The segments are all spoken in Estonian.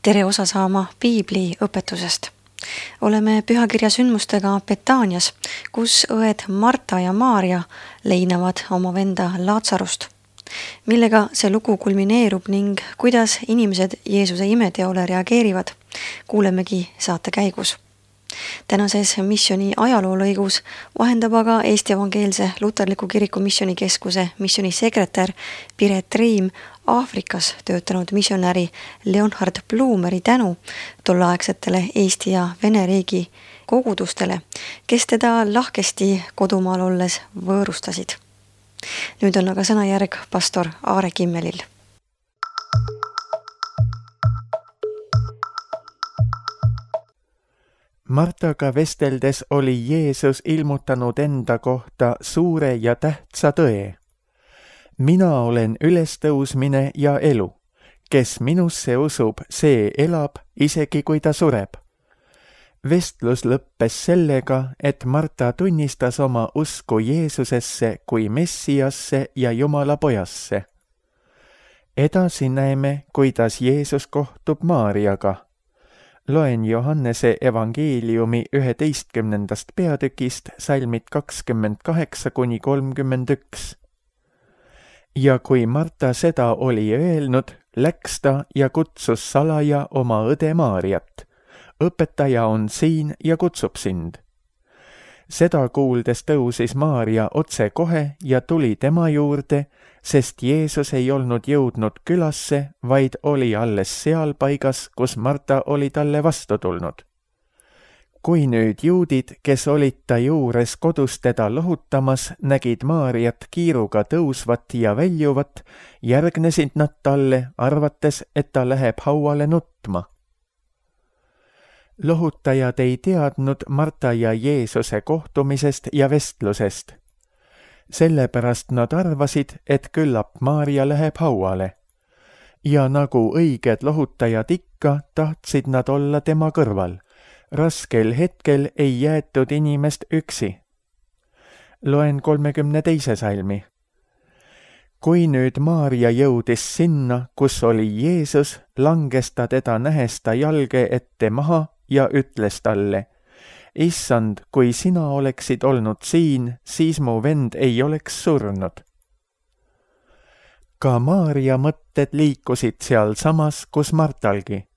tere osa saama piibli õpetusest. Oleme pühakirja sündmustega Betaanias, kus õed Marta ja Maarja leinavad oma venda Laatsarust. Millega see lugu kulmineerub ning kuidas inimesed Jeesuse imeteole reageerivad, kuulemegi saate käigus. Tänases missiooni ajaloolõigus vahendab aga Eesti Evangeelse Luterliku Kiriku Missioonikeskuse missioonisekretär Piret Riim Aafrikas töötanud missionäri Leonhard Blumeri tänu tolleaegsetele Eesti ja Vene riigi kogudustele, kes teda lahkesti kodumaal olles võõrustasid. Nüüd on aga sõnajärg pastor Aare Kimmelil. Martaga vesteldes oli Jeesus ilmutanud enda kohta suure ja tähtsa tõe. Mina olen ülestõusmine ja elu. Kes minusse usub, see elab, isegi kui ta sureb. Vestlus lõppes sellega, et Marta tunnistas oma usku Jeesusesse kui Messiasse ja Jumala pojasse. Edasi näeme, kuidas Jeesus kohtub Maarjaga. Loen Johannese evangeeliumi 11. peatükist salmid 28–31. Ja kui Marta seda oli öelnud, läks ta ja kutsus salaja oma õde Maarjat. Õpetaja on siin ja kutsub sind. Seda kuuldes tõusis Maarja otse kohe ja tuli tema juurde, sest Jeesus ei olnud jõudnud külasse, vaid oli alles seal paigas, kus Marta oli talle vastu tulnud. Kui nüüd juudid, kes olid ta juures kodus teda lohutamas, nägid Maarjat kiiruga tõusvat ja väljuvat, järgnesid nad talle, arvates, et ta läheb hauale nutma. Lohutajad ei teadnud Marta ja Jeesuse kohtumisest ja vestlusest. Sellepärast nad arvasid, et küllap Maarja läheb hauale. Ja nagu õiged lohutajad ikka, tahtsid nad olla tema kõrval. Raskel hetkel ei jäetud inimest üksi. Loen 32. salmi. Kui nüüd Maarja jõudis sinna, kus oli Jeesus, langes ta teda nähes ta jalge ette maha ja ütles talle: Issand, kui sina oleksid olnud siin, siis mu vend ei oleks surnud. Ka Maarja mõtted liikusid seal samas, kus Martalgi.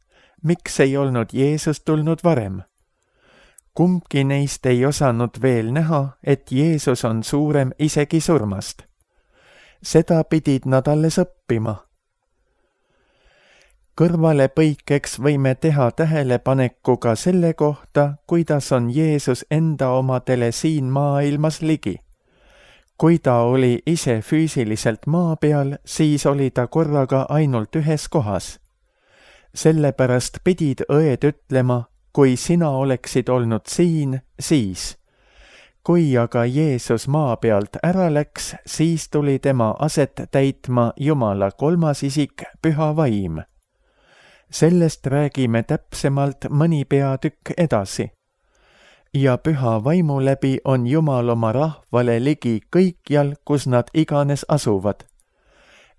Miks ei olnud Jeesus tulnud varem? Kumbki neist ei osanud veel näha, et Jeesus on suurem isegi surmast. Seda pidid nad alles õppima. Kõrvale põikeks võime teha tähelepaneku ka selle kohta, kuidas on Jeesus enda omadele siin maailmas ligi. Kui ta oli ise füüsiliselt maa peal, siis oli ta korraga ainult ühes kohas. Sellepärast pidid õed ütlema, kui sina oleksid olnud siin, siis. Kui aga Jeesus maa pealt ära läks, siis tuli tema aset täitma Jumala kolmas isik, Püha Vaim. Sellest räägime täpsemalt mõni peatükk edasi. Ja Püha Vaimu läbi on Jumal oma rahvale ligi kõikjal, kus nad iganes asuvad.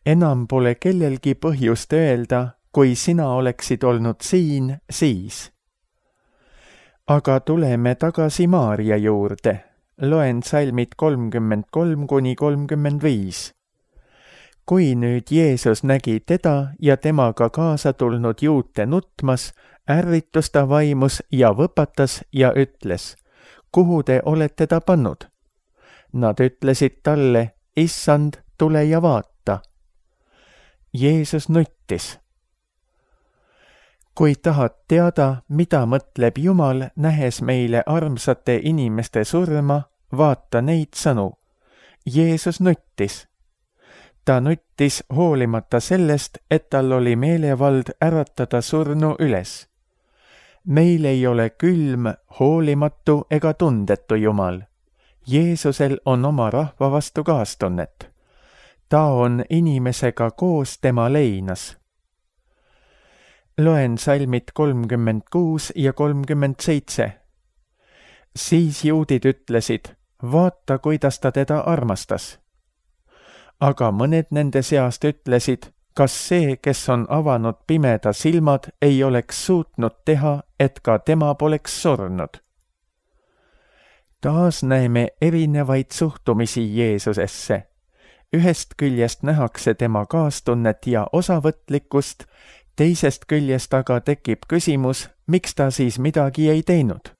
Enam pole kellelgi põhjust öelda, kui sina oleksid olnud siin, siis. Aga tuleme tagasi Maarja juurde. Loen salmid 33–35. Kui nüüd Jeesus nägi teda ja temaga kaasa tulnud juute nutmas, ärritus ta vaimus ja võpatas ja ütles: Kuhu te olete ta pannud? Nad ütlesid talle: Issand, tule ja vaata. Jeesus nuttis. Kui tahad teada, mida mõtleb Jumal, nähes meile armsate inimeste surma, vaata neid sõnu. Jeesus nuttis. Ta nuttis hoolimata sellest, et tal oli meelevald äratada surnu üles. Meil ei ole külm, hoolimatu ega tundetu Jumal. Jeesusel on oma rahva vastu kaastunnet. Ta on inimesega koos tema leinas. Loen salmid 36 ja 37. Siis juudid ütlesid: Vaata, kuidas ta teda armastas. Aga mõned nende seast ütlesid: kas see, kes on avanud pimeda silmad, ei oleks suutnud teha, et ka tema poleks surnud? Taas näeme erinevaid suhtumisi Jeesusesse. Ühest küljest nähakse tema kaastunnet ja osavõtlikkust, teisest küljest aga tekib küsimus, miks ta siis midagi ei teinud.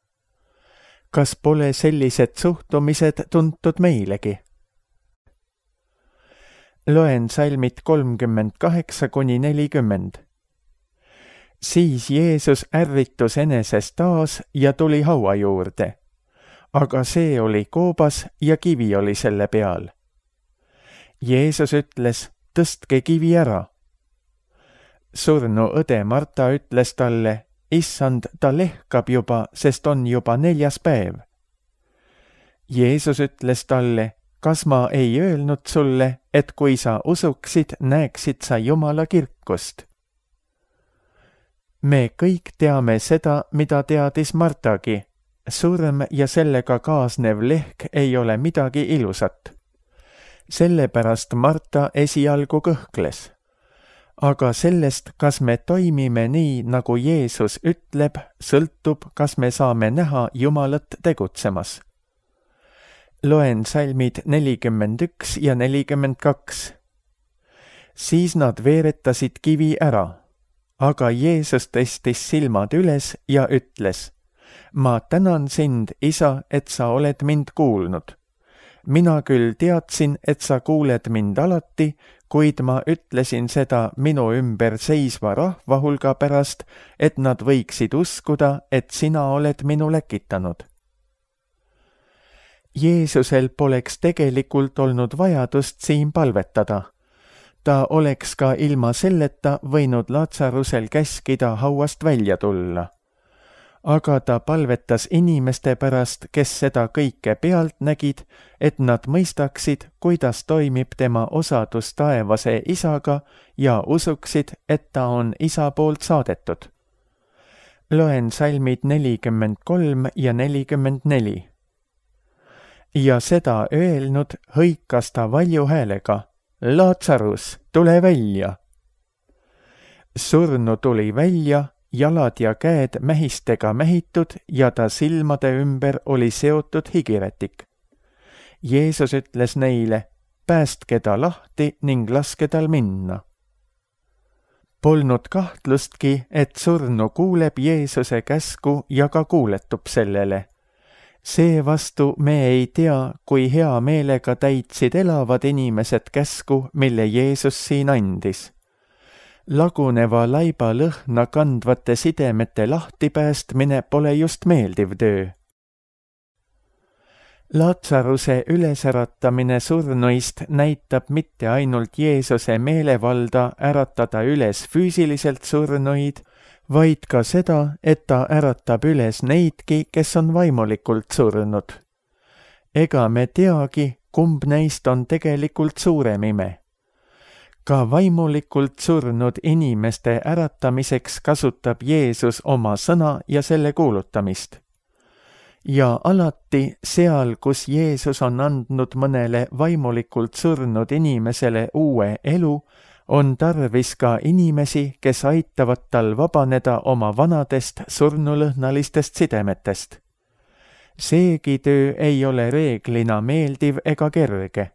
Kas pole sellised suhtumised tuntud meilegi? Loen salmid 38–40. Siis Jeesus ärritus eneses taas ja tuli haua juurde, aga see oli koobas ja kivi oli selle peal. Jeesus ütles, tõstke kivi ära. Surnu õde Marta ütles talle, issand, ta lehkab juba, sest on juba 4. päev. Jeesus ütles talle, kas ma ei öelnud sulle, et kui sa usuksid, näeksid sa Jumala kirkust? Me kõik teame seda, mida teadis Martagi. Surm ja sellega kaasnev lehk ei ole midagi ilusat. Sellepärast Marta esialgu kõhkles. Aga sellest, kas me toimime nii, nagu Jeesus ütleb, sõltub, kas me saame näha Jumalat tegutsemas. Loen salmid 41 ja 42. Siis nad veeretasid kivi ära, aga Jeesus tõstis silmad üles ja ütles, ma tänan sind, isa, et sa oled mind kuulnud. Mina küll teadsin, et sa kuuled mind alati, kuid ma ütlesin seda minu ümber seisva rahva hulga pärast, et nad võiksid uskuda, et sina oled minu läkitanud. Jeesusel poleks tegelikult olnud vajadust siin palvetada. Ta oleks ka ilma selleta võinud Lazarusel käskida hauast välja tulla. Aga ta palvetas inimeste pärast, kes seda kõike pealt nägid, et nad mõistaksid, kuidas toimib tema osadus taevase isaga ja usuksid, et ta on isa poolt saadetud. Loen salmid 43 ja 44. Ja seda öelnud hõikas ta valju häälega, Lazarus, tule välja! Surnu tuli välja, jalad ja käed mähistega mähitud ja ta silmade ümber oli seotud higirätik. Jeesus ütles neile, päästke ta lahti ning laske tal minna. Polnud kahtlustki, et surnu kuuleb Jeesuse käsku ja ka kuuletub sellele. Seevastu me ei tea, kui hea meelega täitsid elavad inimesed käsku, mille Jeesus siin andis. Laguneva laiba lõhna kandvate sidemete lahtipäästmine pole just meeldiv töö. Lazaruse ülesäratamine surnuist näitab mitte ainult Jeesuse meelevalda äratada üles füüsiliselt surnuid, vaid ka seda, et ta äratab üles neidki, kes on vaimulikult surnud. Ega me teagi, kumb neist on tegelikult suurem ime. Ka vaimulikult surnud inimeste äratamiseks kasutab Jeesus oma sõna ja selle kuulutamist. Ja alati seal, kus Jeesus on andnud mõnele vaimulikult surnud inimesele uue elu, on tarvis ka inimesi, kes aitavad tal vabaneda oma vanadest surnulõhnalistest sidemetest. Seegi töö ei ole reeglina meeldiv ega kerge.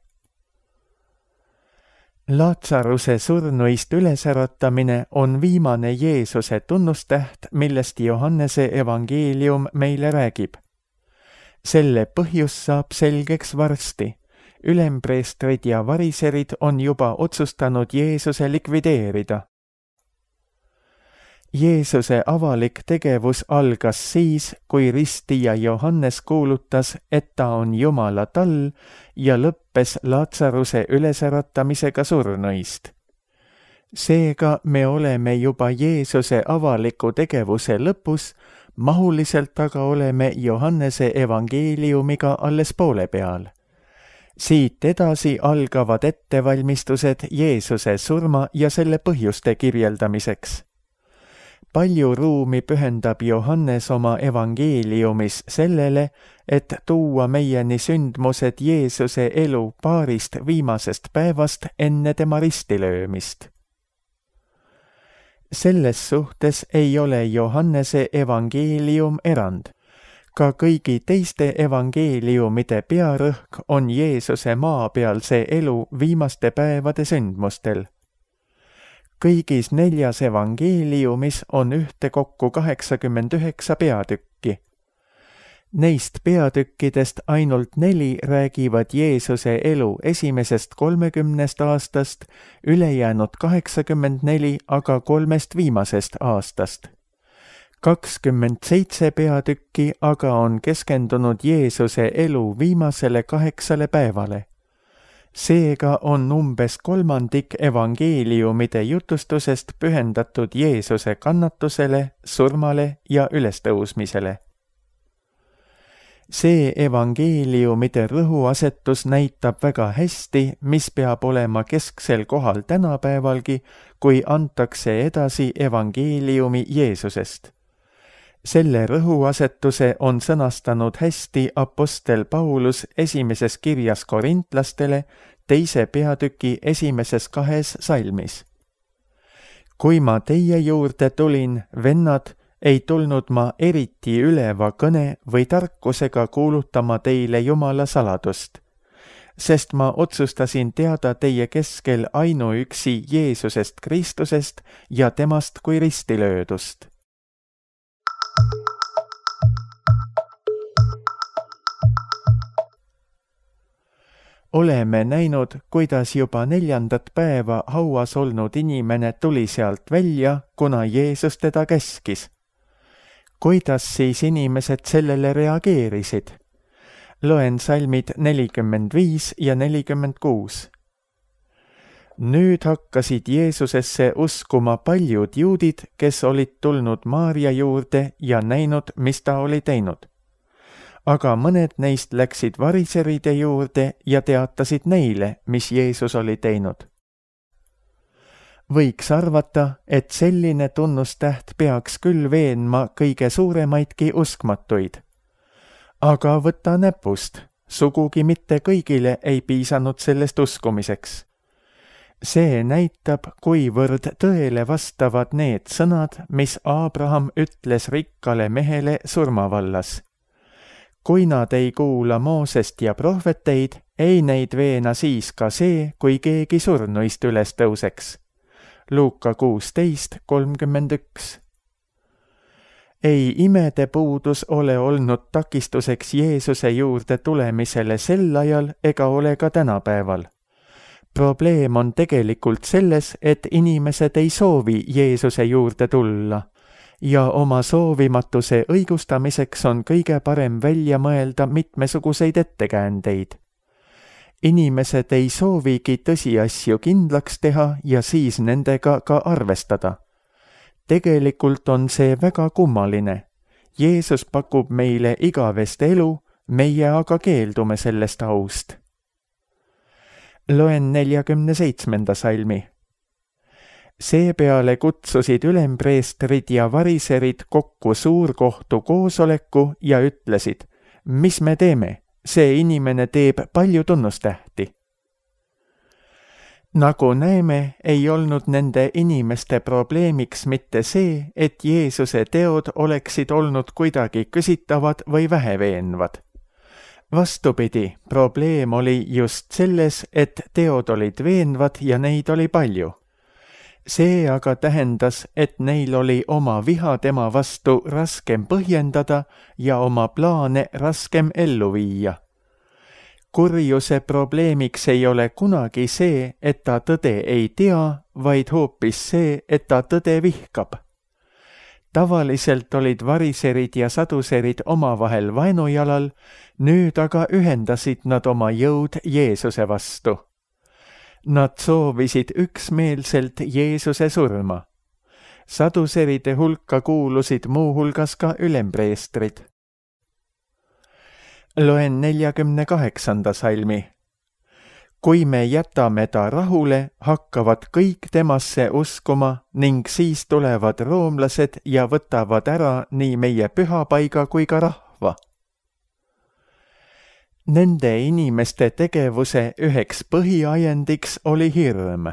Lazaruse surnuist ülesäratamine on viimane Jeesuse tunnustäht, millest Johannese evangeelium meile räägib. Selle põhjus saab selgeks varsti. Ülempreestrid ja variserid on juba otsustanud Jeesuse likvideerida. Jeesuse avalik tegevus algas siis, kui ristija Johannes kuulutas, et ta on Jumala tall ja lõppes Lazaruse ülesäratamisega surnuist. Seega me oleme juba Jeesuse avaliku tegevuse lõpus, mahuliselt aga oleme Johannese evangeeliumiga alles poole peal. Siit edasi algavad ettevalmistused Jeesuse surma ja selle põhjuste kirjeldamiseks. Palju ruumi pühendab Johannes oma evangeeliumis sellele, et tuua meieni sündmused Jeesuse elu paarist viimasest päevast enne tema ristilöömist. Selles suhtes ei ole Johannese evangeelium erand. Ka kõigi teiste evangeeliumide pearõhk on Jeesuse maapealse elu viimaste päevade sündmustel. Kõigis 4 evangeeliumis on ühtekokku 89 peatükki. Neist peatükkidest ainult 4 räägivad Jeesuse elu esimesest 30 aastast, ülejäänud 84 aga 3 viimasest aastast. 27 peatükki aga on keskendunud Jeesuse elu viimasele 8 päevale. Seega on umbes 1/3 evangeeliumide jutustusest pühendatud Jeesuse kannatusele, surmale ja ülestõusmisele. See evangeeliumide rõhuasetus näitab väga hästi, mis peab olema kesksel kohal tänapäevalgi, kui antakse edasi evangeeliumi Jeesusest. Selle rõhuasetuse on sõnastanud hästi apostel Paulus esimeses kirjas korintlastele 2. peatüki esimeses 2 salmis. Kui ma teie juurde tulin, vennad, ei tulnud ma eriti üleva kõne või tarkusega kuulutama teile Jumala saladust, sest ma otsustasin teada teie keskel ainuüksi Jeesusest Kristusest ja temast kui ristilöödust. Oleme näinud, kuidas juba 4. päeva hauas olnud inimene tuli sealt välja, kuna Jeesus teda käskis. Kuidas siis inimesed sellele reageerisid? Loen salmid 45 ja 46. Nüüd hakkasid Jeesusesse uskuma paljud juudid, kes olid tulnud Maarja juurde ja näinud, mis ta oli teinud. Aga mõned neist läksid variseride juurde ja teatasid neile, mis Jeesus oli teinud. Võiks arvata, et selline tunnustäht peaks küll veenma kõige suuremaidki uskmatuid. Aga võta näpust, sugugi mitte kõigile ei piisanud sellest uskumiseks. See näitab, kuivõrd tõele vastavad need sõnad, mis Abraham ütles rikkale mehele surmavallas. Kui nad ei kuula Moosest ja prohveteid, ei neid veena siis ka see, kui keegi surnuist üles tõuseks. Luuka 16:31. Ei imede puudus ole olnud takistuseks Jeesuse juurde tulemisele sel ajal ega ole ka tänapäeval. Probleem on tegelikult selles, et inimesed ei soovi Jeesuse juurde tulla ja oma soovimatuse õigustamiseks on kõige parem välja mõelda mitmesuguseid ettekäändeid. Inimesed ei soovigi tõsiasju kindlaks teha ja siis nendega ka arvestada. Tegelikult on see väga kummaline. Jeesus pakub meile igavest elu, meie aga keeldume sellest aust. Loen 47. salmi. Seepeale kutsusid ülempreestrid ja variserid kokku suurkohtu koosoleku ja ütlesid, mis me teeme? See inimene teeb palju tunnustähti. Nagu näeme, ei olnud nende inimeste probleemiks mitte see, et Jeesuse teod oleksid olnud kuidagi küsitavad või väheveenvad. Vastupidi, probleem oli just selles, et teod olid veenvad ja neid oli palju. See aga tähendas, et neil oli oma viha tema vastu raskem põhjendada ja oma plaane raskem ellu viia. Kurjuse probleemiks ei ole kunagi see, et ta tõde ei tea, vaid hoopis see, et ta tõde vihkab. Tavaliselt olid variserid ja saduserid omavahel vaenujalal, nüüd aga ühendasid nad oma jõud Jeesuse vastu. Nad soovisid üksmeelselt Jeesuse surma. Saduseride hulka kuulusid muuhulgas ka ülempreestrid. Loen 48. salmi. Kui me jätame ta rahule, hakkavad kõik temasse uskuma ning siis tulevad roomlased ja võtavad ära nii meie pühapaiga kui ka rahva. Nende inimeste tegevuse üheks põhiajendiks oli hirm.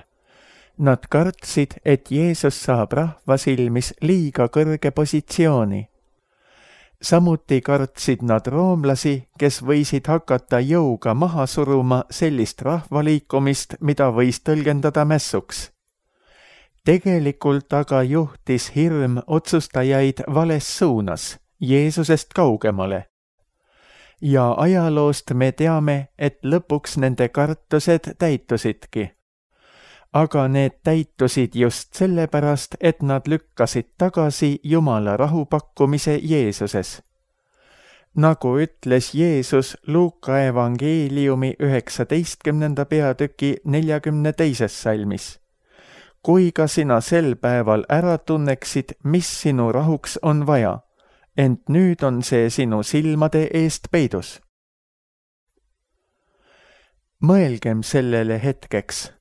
Nad kartsid, et Jeesus saab rahva silmis liiga kõrge positsiooni. Samuti kartsid nad roomlasi, kes võisid hakata jõuga maha suruma sellist rahvaliikumist, mida võis tõlgendada mässuks. Tegelikult aga juhtis hirm otsustajaid vales suunas, Jeesusest kaugemale. Ja ajaloost me teame, et lõpuks nende kartused täitusidki. Aga need täitusid just sellepärast, et nad lükkasid tagasi Jumala rahupakkumise Jeesuses. Nagu ütles Jeesus Luuka evangeeliumi 19. peatüki 42. salmis. Kui ka sina sel päeval ära tunneksid, mis sinu rahuks on vaja, ent nüüd on see sinu silmade eest peidus. Mõelgem sellele hetkeks.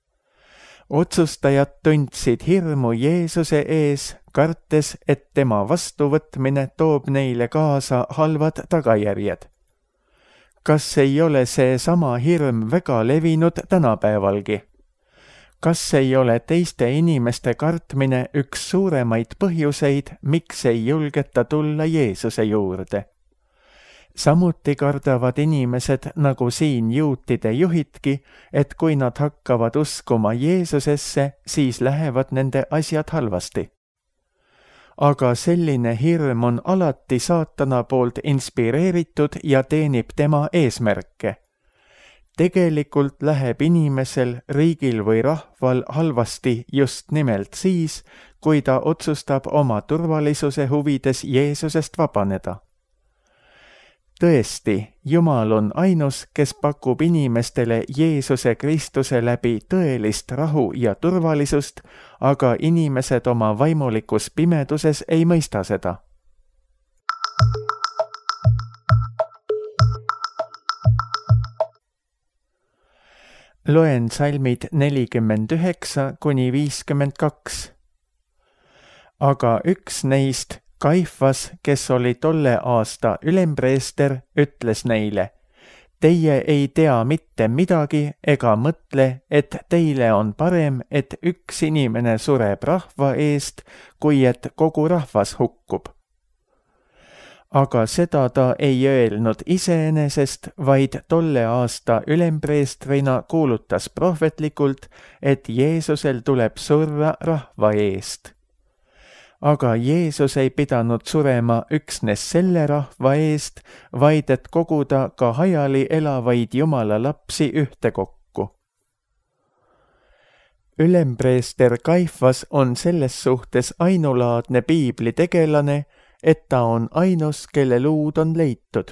Otsustajad tundsid hirmu Jeesuse ees, kartes, et tema vastuvõtmine toob neile kaasa halvad tagajärjed. Kas ei ole see sama hirm väga levinud tänapäevalgi? Kas ei ole teiste inimeste kartmine üks suuremaid põhjuseid, miks ei julgeta tulla Jeesuse juurde? Samuti kardavad inimesed, nagu siin juutide juhidki, et kui nad hakkavad uskuma Jeesusesse, siis lähevad nende asjad halvasti. Aga selline hirm on alati saatana poolt inspireeritud ja teenib tema eesmärke. Tegelikult läheb inimesel, riigil või rahval halvasti just nimelt siis, kui ta otsustab oma turvalisuse huvides Jeesusest vabaneda. Tõesti, Jumal on ainus, kes pakub inimestele Jeesuse Kristuse läbi tõelist rahu ja turvalisust, aga inimesed oma vaimulikus pimeduses ei mõista seda. Loen salmid 49–52. Aga üks neist, Kaifas, kes oli tolle aasta ülempreester, ütles neile: Teie ei tea mitte midagi ega mõtle, et teile on parem, et üks inimene sureb rahva eest, kui et kogu rahvas hukkub. Aga seda ta ei öelnud iseenesest, vaid tolle aasta ülempreestrina kuulutas prohvetlikult, et Jeesusel tuleb surra rahva eest. Aga Jeesus ei pidanud surema üksnes selle rahva eest, vaid et koguda ka hajali elavaid Jumala lapsi ühtekokku. Ülempreester Kaifas on selles suhtes ainulaadne piiblitegelane, et ta on ainus, kelle luud on leitud.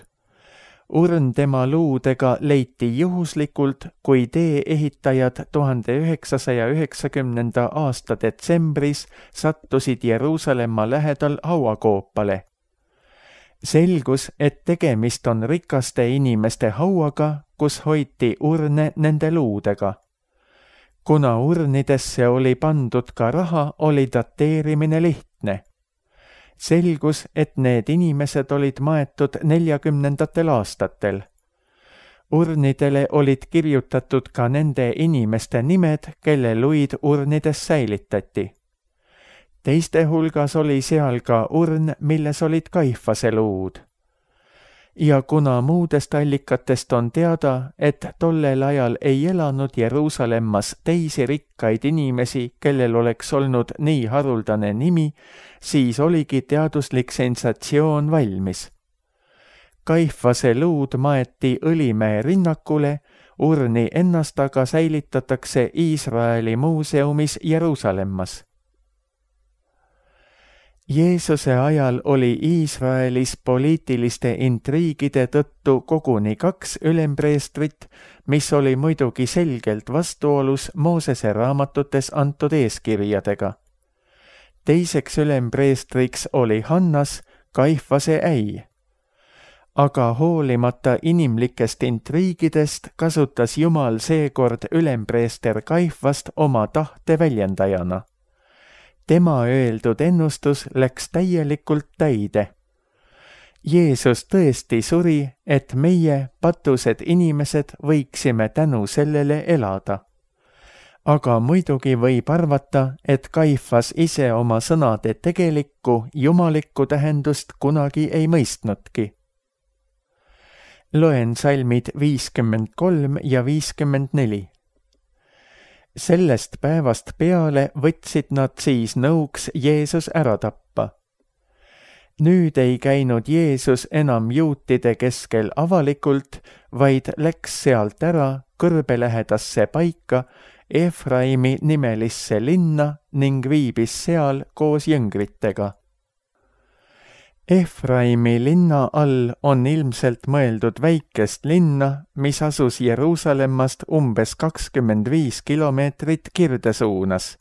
Urn tema luudega leiti juhuslikult, kui tee-ehitajad 1990. aasta detsembris sattusid Jeruusalemma lähedal hauakoopale. Selgus, et tegemist on rikaste inimeste hauaga, kus hoiti urne nende luudega. Kuna urnidesse oli pandud ka raha, oli dateerimine lihtne. Selgus, et need inimesed olid maetud 40. aastatel. Urnidele olid kirjutatud ka nende inimeste nimed, kelle luid urnides säilitati. Teiste hulgas oli seal ka urn, milles olid Kaifase luud. Ja kuna muudest allikatest on teada, et tollel ajal ei elanud Jeruusalemmas teisi rikkaid inimesi, kellel oleks olnud nii haruldane nimi, siis oligi teaduslik sensatsioon valmis. Kaifase luud maeti Õlimäe rinnakule, urni ennast aga säilitatakse Iisraeli muuseumis Jeruusalemmas. Jeesuse ajal oli Iisraelis poliitiliste intriigide tõttu koguni 2 ülempreestrit, mis oli muidugi selgelt vastuolus Moosese raamatutes antud eeskirjadega. Teiseks ülempreestriks oli Hannas, Kaifase äi. Aga hoolimata inimlikest intriigidest kasutas Jumal seekord ülempreester Kaifast oma tahte väljendajana. Tema öeldud ennustus läks täielikult täide. Jeesus tõesti suri, et meie, patused inimesed, võiksime tänu sellele elada. aga muidugi võib arvata, et Kaifas ise oma sõnade tegelikku jumalikku tähendust kunagi ei mõistnudki. Loen salmid 53 ja 54. Sellest päevast peale võtsid nad siis nõuks Jeesus ära tappa. Nüüd ei käinud Jeesus enam juutide keskel avalikult, vaid läks sealt ära kõrbelähedasse paika Efraimi nimelisse linna ning viibis seal koos jüngritega. Efraimi linna all on ilmselt mõeldud väikest linna, mis asus Jeruusalemmast umbes 25 kilomeetrit kirdesuunas.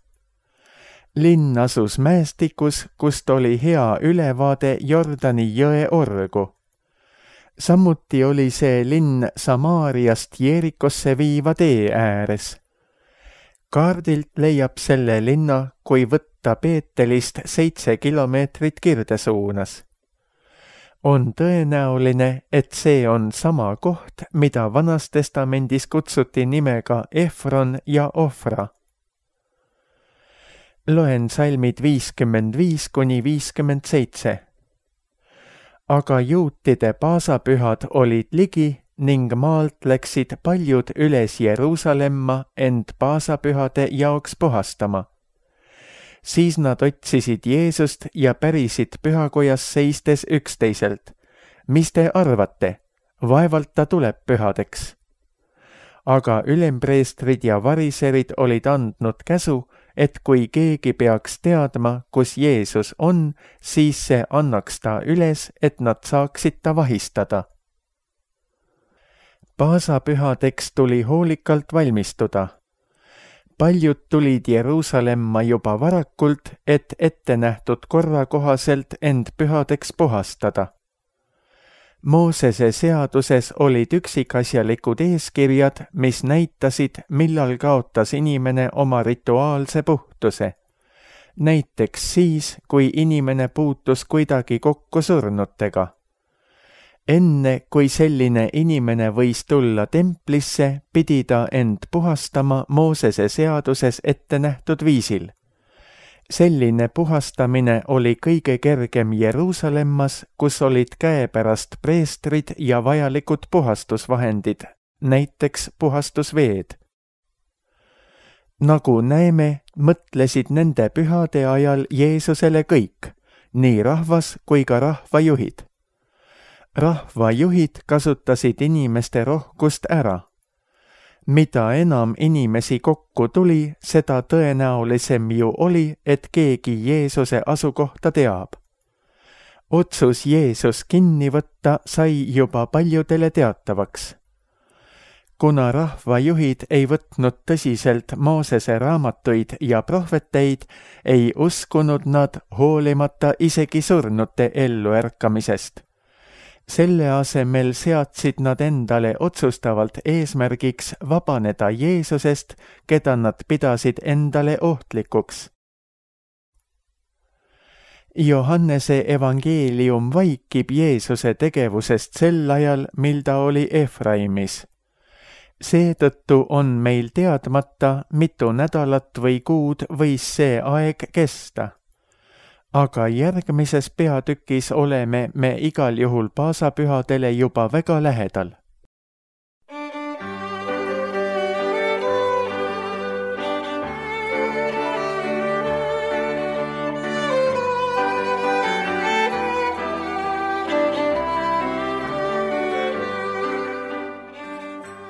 Linn asus mäestikus, kust oli hea ülevaade Jordani jõe orgu. Samuti oli see linn Samaariast Jeerikosse viiva tee ääres. Kaardilt leiab selle linna, kui võtta Peetelist 7 kilomeetrit kirdesuunas. On tõenäoline, et see on sama koht, mida Vanas Testamendis kutsuti nimega Efron ja Ofra. Loen salmid 55 kuni 57. Aga juutide paasapühad olid ligi ning maalt läksid paljud üles Jeruusalemma end paasapühade jaoks puhastama. Siis nad otsisid Jeesust ja pärisid pühakojas seistes üksteiselt. Mis te arvate? Vaevalt ta tuleb pühadeks. Aga ülempreestrid ja variserid olid andnud käsu, et kui keegi peaks teadma, kus Jeesus on, siis see annaks ta üles, et nad saaksid ta vahistada. Paasapühadeks tuli hoolikalt valmistuda. Paljud tulid Jeruusalemma juba varakult, et ette nähtud korra kohaselt end pühadeks puhastada. Moosese seaduses olid üksikasjalikud eeskirjad, mis näitasid, millal kaotas inimene oma rituaalse puhtuse. Näiteks siis, kui inimene puutus kuidagi kokku surnutega. Enne, kui selline inimene võis tulla templisse, pidi ta end puhastama Moosese seaduses ette nähtud viisil. Selline puhastamine oli kõige kergem Jeruusalemmas, kus olid käepärast preestrid ja vajalikud puhastusvahendid, näiteks puhastusveed. Nagu näeme, mõtlesid nende pühade ajal Jeesusele kõik, nii rahvas kui ka rahvajuhid. Rahvajuhid kasutasid inimeste rohkust ära. Mida enam inimesi kokku tuli, seda tõenäolisem ju oli, et keegi Jeesuse asukohta teab. Otsus Jeesus kinni võtta sai juba paljudele teatavaks. Kuna rahvajuhid ei võtnud tõsiselt Moosese raamatuid ja prohveteid, ei uskunud nad hoolimata isegi surnute elluärkamisest. Selle asemel seadsid nad endale otsustavalt eesmärgiks vabaneda Jeesusest, keda nad pidasid endale ohtlikuks. Johannese evangeelium vaikib Jeesuse tegevusest sel ajal, mil ta oli Efraimis. Seetõttu on meil teadmata, mitu nädalat või kuud võis see aeg kesta. Aga järgmises peatükis oleme me igal juhul paasapühadele juba väga lähedal.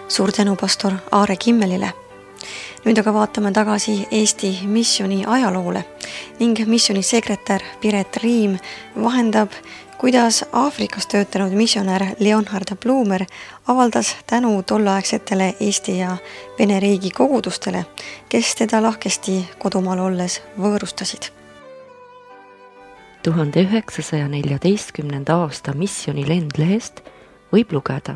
Suur tänu pastor Aare Kimmelile. Nüüd aga vaatame tagasi Eesti missiooni ajaloole ning missiooni sekretär Piret Riim vahendab, kuidas Aafrikas töötanud missionär Leonhard Blumer avaldas tänu tolleaegsetele Eesti ja Vene riigi kogudustele, kes teda lahkesti kodumaal olles võõrustasid. 1914. aasta missiooni lendlehest võib lugeda.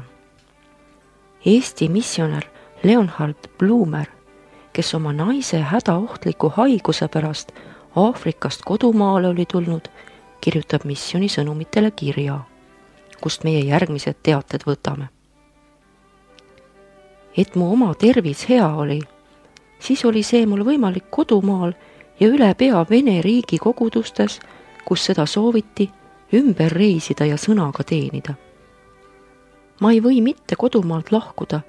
Eesti missionär Leonhard Blumer, kes oma naise hädaohtliku haiguse pärast Aafrikast kodumaale oli tulnud, kirjutab missiooni sõnumitele kirja, kust meie järgmised teated võtame. Et mu oma tervis hea oli, siis oli see mul võimalik kodumaal ja üle pea Vene riigi kogudustes, kus seda sooviti, ümber reisida ja sõnaga teenida. Ma ei või mitte kodumaalt lahkuda,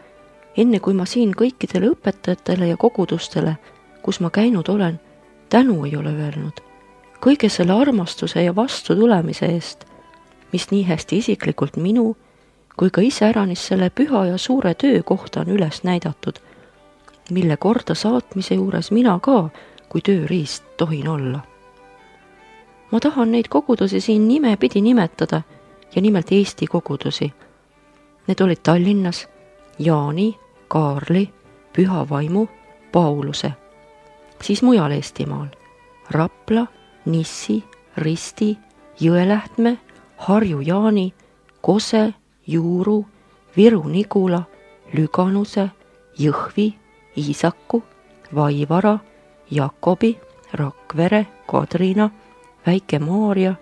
enne kui ma siin kõikidele õpetajatele ja kogudustele, kus ma käinud olen, tänu ei ole öelnud. Kõige selle armastuse ja vastutulemise eest, mis nii hästi isiklikult minu, kui ka iseäranis selle püha ja suure töö kohta on üles näidatud, mille korda saatmise juures mina ka kui tööriist tohin olla. Ma tahan neid kogudusi siin nimepidi nimetada ja nimelt Eesti kogudusi. Need olid Tallinnas Jaani, Kaarli, Püha Vaimu, Pauluse, siis mujal Eestimaal Rapla, Nissi, Risti, Jõelähtme, Harju Jaani, Kose, Juuru, Viru Nigula, Lüganuse, Jõhvi, Iisaku, Vaivara, Jakobi, Rakvere, Kadrina, Väike-Maarja,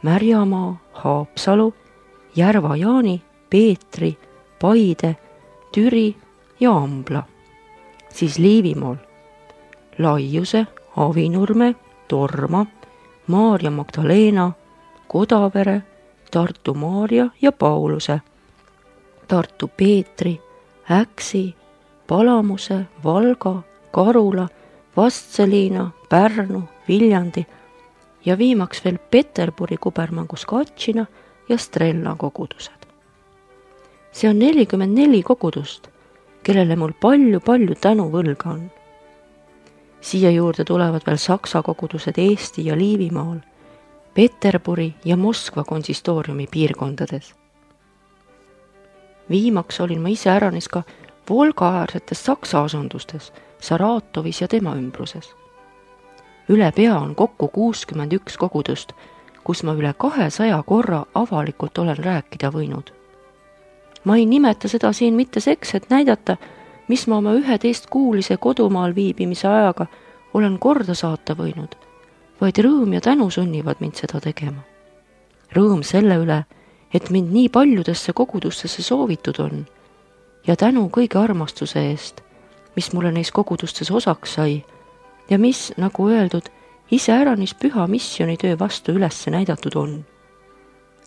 Märjamaa, Haapsalu, Järva-Jaani, Peetri, Paide, Türi ja Ambla. Siis Liivimaal Laiuse, Avinurme, Torma, Maarja Magdalena, Kodavere, Tartu Maarja ja Pauluse, Tartu Peetri, Äksi, Palamuse, Valga, Karula, Vastseliina, Pärnu, Viljandi ja viimaks veel Peterburi kubermangus Katšina ja Strella kogudused. See on 44 kogudust, kellele mul palju tänu võlga on. Siia juurde tulevad veel Saksa kogudused Eesti ja Liivimaal, Peterburi ja Moskva konsistooriumi piirkondades. Viimaks olin ma iseäranis ka Volga-äärsetes Saksa asundustes, Saratovis ja tema ümbruses. Üle pea on kokku 61 kogudust, kus ma üle 200 korra avalikult olen rääkida võinud. Ma ei nimeta seda siin mitte seks, et näidata, mis ma oma 11-kuulise kodumaal viibimise ajaga olen korda saata võinud, vaid rõõm ja tänu sunnivad mind seda tegema. Rõõm selle üle, et mind nii paljudesse kogudustesse soovitud on ja tänu kõige armastuse eest, mis mulle neis kogudustes osaks sai ja mis, nagu öeldud, iseäranis püha missionitöö vastu üles näidatud on.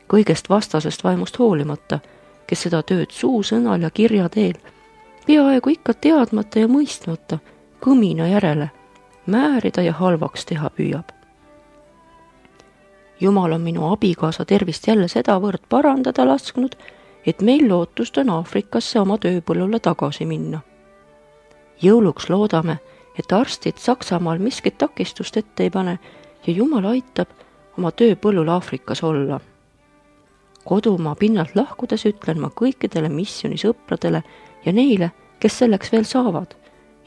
Kõigest vastasest vaimust hoolimata, kes seda tööd suusõnal ja kirja teel, peaaegu ikka teadmata ja mõistmata, kõmina järele, määrida ja halvaks teha püüab. Jumal on minu abikaasa tervist jälle sedavõrd parandada lasknud, et meil lootust on Aafrikasse oma tööpõllule tagasi minna. Jõuluks loodame, et arstid Saksamaal miskit takistust ette ei pane ja Jumal aitab oma tööpõllul Aafrikas olla. Kodumaa pinnalt lahkudes ütlen ma kõikidele missionisõpradele ja neile, kes selleks veel saavad,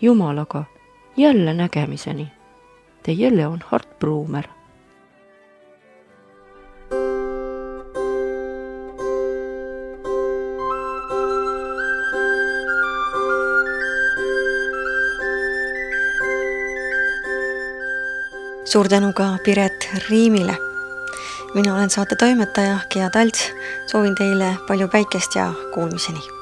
Jumalaga jälle nägemiseni. Teie Leonhard Blumer. Suur tänu ka Piret Riimile. Mina olen saate toimetaja Gea Talts. Soovin teile palju päikest ja kuulmiseni.